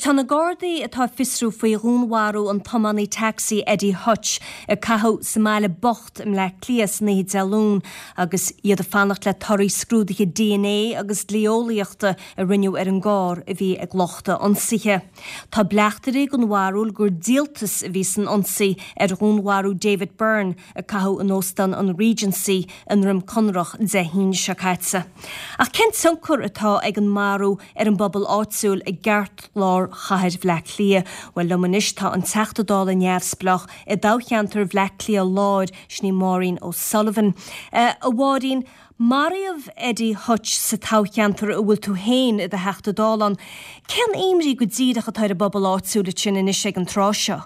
Tá na Gardaí atá ag fiosrú faoi dhúnmharú an tiománaí tacsaí Eddie Hutch a caitheadh sa mBaile Bocht i mBleá Cliath san oíche Dé Luain agus iad ag fanacht le torthaí scrúduithe dna agus dlí-eolaíochta a rinneadh ar an gcarr a bhí ag lucht a ionsaithe. Tá bleachtaire den bharúil gur díoltas a bhí san ionsaí ar dhúnmharú David Byrne a caitheadh in Óstán an Regency i nDroim Conrach Dé hAoine seo caite. Ach cén tionchar atá ag an marú ar an bpobal áitiúil i gceartlár chathair Bhleá Cliath? Bhuel, liom anois tá an Teachta Dála neamhspleách i dtoghcheantar Bhleá Cliath Láir, sin í Maureen O'Sullivan. A Mháirín, Maraíodh Eddie Hutch sa toghcheantar a bhfuil tú féin i do Theachta Dála ann. Cén imní go díreach atá ar an bpobal áitiúil ansin anois ag an tráth seo?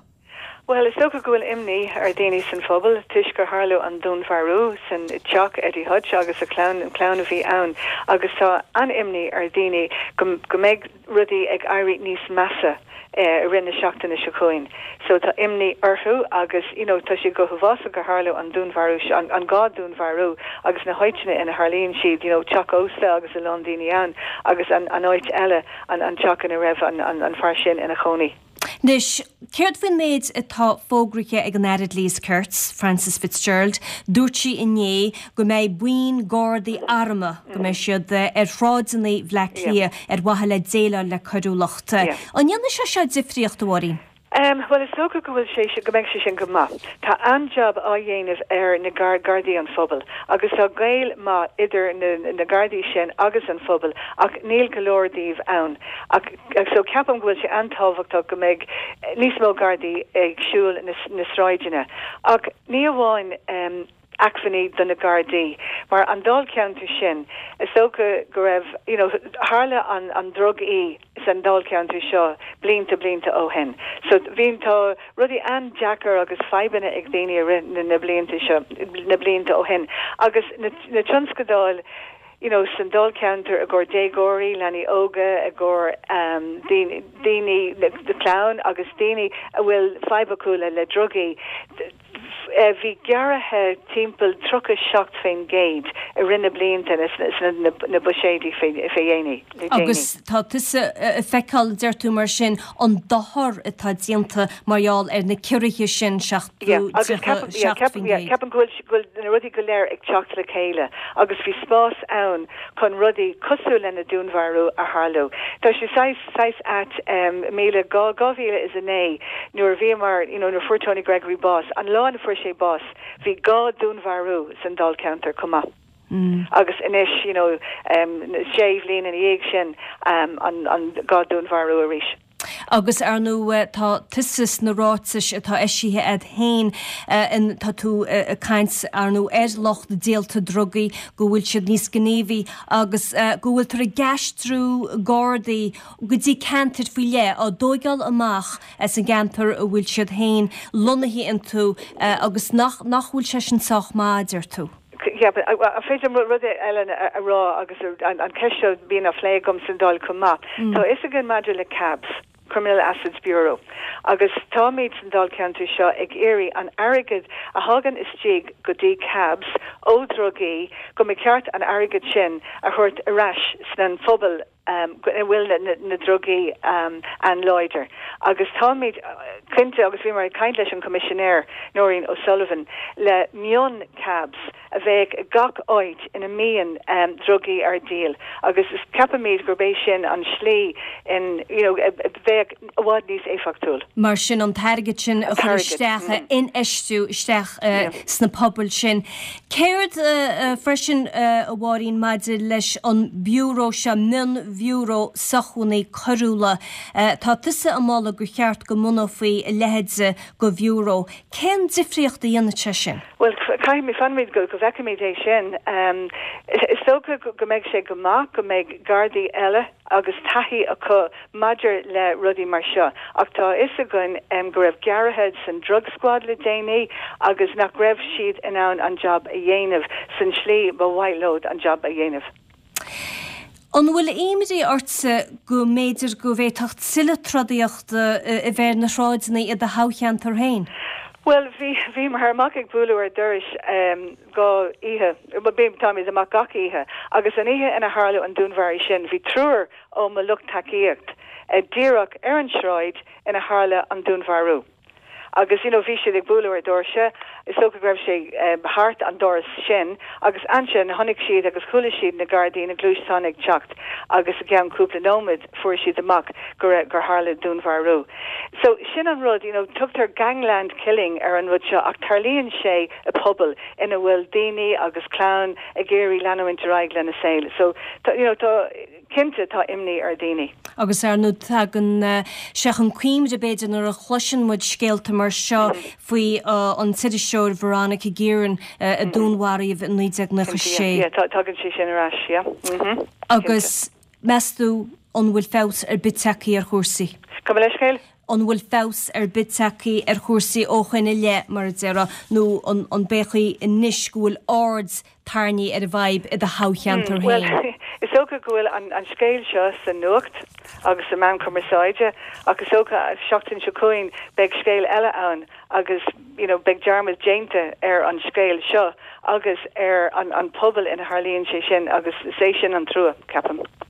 Bhuel, is dócha go bhfuil imní ar dhaoine san phobal toisc gur tharla an dúnmharú san teach Eddie Hutch agus a chlann, an clann a bhí ann agus tá an-imní ar dhaoine go go mbeidh rudaí ag éirí níos measa i rith na seachtaine seo chugainn. So tá imní orthu agus you know tá sé go huafásach gur tharla an dúnmharú seo, an dhá dúnmharú agus na háiteanna ina tharlaíonn siad, you know teach ósta agus a lán daoine ann agus an an áit eile, an an teach ina raibh an an an fear sin ina chónaí. Anois, céard faoin méid atá fógraithe ag an Aire Dlí is Cirt, Frances Fitzgerald? Dúirt sí inné go mbeidh buíon gardaí armtha, go mbeidh siad ar shráideanna Bhleá Cliath ar mhaithe le déileáil le coiriúlacht. An ndéanfaidh sé seo difríocht, a Mháirín? Bhuel, is dócha go bhfuil sé, go mbeidh sé sin go maith. Tá an-jab á dhéanamh ar na Gardaí an phobail agus tá gaol maith idir na Gardaí sin agus an phobal ach níl go leor díobh ann. Ach. So ceapaim go bhfuil sé an-tábhachtach go mbeidh níos mó Gardaí ag siúl na sráideanna. Ach ní amháin acmhainní do na Gardaí, mar an dáilcheantar sin, is dócha go raibh, you know, tharla an an drugaí san dáilcheantar seo blianta, blianta ó shin. So bhí, tá rudaí an-deacair agus fadhbanna ag daoine i rith na blianta seo, na blianta ó shin. Agus na na tionscadail, you know san dáilcheantar i gcomhair déagóirí, leanaí óga, i gcomhair daoine, daoine, clann agus daoine a bhfuil fadhb acu le le drugaí. Bhí gearraithe timpeall 37% i rith na blianta sna na buiséidí fé dhéanaí, le déanaí. Agus tá tusa ag feiceáil, deir tú mar sin, an dochar atá déanta mar gheall ar na ciorruithe sin, 37%. Yeah, agus ceapaim, yeah, ceapaim, yeah, ceapaim go bhfuil, go bhfuil na rudaí go léir ag teacht le chéile agus bhí spás ann chun rudaí cosúil le na dúnmharú a tharlú. Tá sé saghas, saghas ait, em, míle, 2009 nuair a bhíomar, you know, nuair a fuair Tony Gregory bás, an lá ina fuair sé bás, bhí dhá dúnmharú san dáilcheantar chomh maith. Agus anois, you know, em, sé bhliain ina dhiaidh sin, em, an, an dhá dúnmharú arís. Agus ar ndóigh tá tusa sna ráitis atá eisithe a'd féin, tá tú ag caint ar ndóigh ar lucht díolta drugaí, go bhfuil siad níos gníomhaí agus go bhfuiltear ag aistriú gardaí go dtí ceantair faoi leith, á dtóigeáil amach as an gceantar a bhfuil siad féin lonnaithe iontu agus nach bhfuil sé sin sách maith, deir tú. Yeah, but an féidir liom rud eile a rá agus an ceist seo bíonn á phlé agam san Dáil chomh maith. Tá a fhios againn maidir le CABs, Criminal Assets Bureau, agus táimid san Dáilcheantar seo ag iarraidh an airgead a thagann istigh go dtí CABs ó dhrugaí go mba cheart an airgead sin a thabhairt ar ais sna phobail ina bhfuil na drugaí an-láidir agus táimid cinnte, agus bhíomar ag caint leis an Choimisinéir Nóirín O'Sullivan, le mion CABs a bheadh i gach áit ina mbíonn drugaí ar díol agus ceapaimid gurb é sin an slí in you know a bheadh i bhfad níos éifeachtúil. Mar sin an t-airgead sin a chur isteach, a infheistiú isteach sna pobail sin. Céard freisin, a Mháirín, maidir leis an Bhiúró seo, Mion-Bhiúró Sócmhainní Coiriúla, tá tusa ag moladh gur cheart go mbunófaí a leithéid de bhiúró. Cén difríocht a dhéanfadh sé sin? Bhuel, caithfimid, fanfaimid go bhfeicfimid é sin. Is dócha go mbeidh sé go maith go mbeidh gardaí eile agus taithí acu maidir le rudaí mar seo ach tá a fhios againn go raibh gearraithe san drug squad le déanaí agus nach raibh siad in ann an jab a dhéanamh san slí ba mhaith leo an jab a dhéanamh. An bhfuil imní ortsa go mb'fhéidir go bhféadfadh tuilleadh trodaíochta a bheith ar na sráideanna i do thoghcheantar féin? Bhuel, bhí, bhíomar amach ag bualadh ar dorais dhá oíche, bhuel, táimid amach gach oíche, agus an oíche ina tharla an dúnmharú sin, bhí triúr ó mo lucht tacaíocht. díreach ar an sráid ina tharla an dúnmharú. Agus, you know, bhí siad ag bualadh ar doirse, is dócha go raibh sé thart an doras sin, agus ansin chonaic siad agus chuala siad na Gardaí, na gluaisteáin ag teacht agus i gceann cúpla nóiméad fuair siad amach go raibh, gur tharla dúnmharú. So, sin an rud, you know, tugtar gangland killing ar an rud seo ach tarlaíonn sé i pobal ina bhfuil daoine agus clann ag iarraidh leanúint ar aghaidh lena saol. So, tá, you know, tá, Cinnte, tá imní ar dhaoine. Agus ar ndóigh tagann sé chun cuimhne, b'fhéidir, nuair a chloiseann muid scéalta mar seo faoi an t-iriseoir Veronica Guerin a dúnmharaíodh i 1996. Cinnte, yeah, tagann sé sin ar ais, yeah. Cinnte. Agus meas tú an bhfuil feabhas ar bith tagtha ar chúrsaí? Gabh mo leithscéal? An bhfuil feabhas ar bith tagtha ar chúrsaí ó shoin i leith, mar a déarfá, nó an b'é an chaoi anois go bhfuil aird tarraingthe ar an bhfadhb i do thoghcheantar féin? Bhuel, is dócha go bhfuil an scéal seo sa nuacht agus sa meán cumarsáide ach is dócha seachtain seo chugainn beidh scéal eile ann agus you know beidh dearmad déanta ar an scéal seo agus ar an pobal ina tharlaíonn sé sin agus is é sin an trua, ceapaim.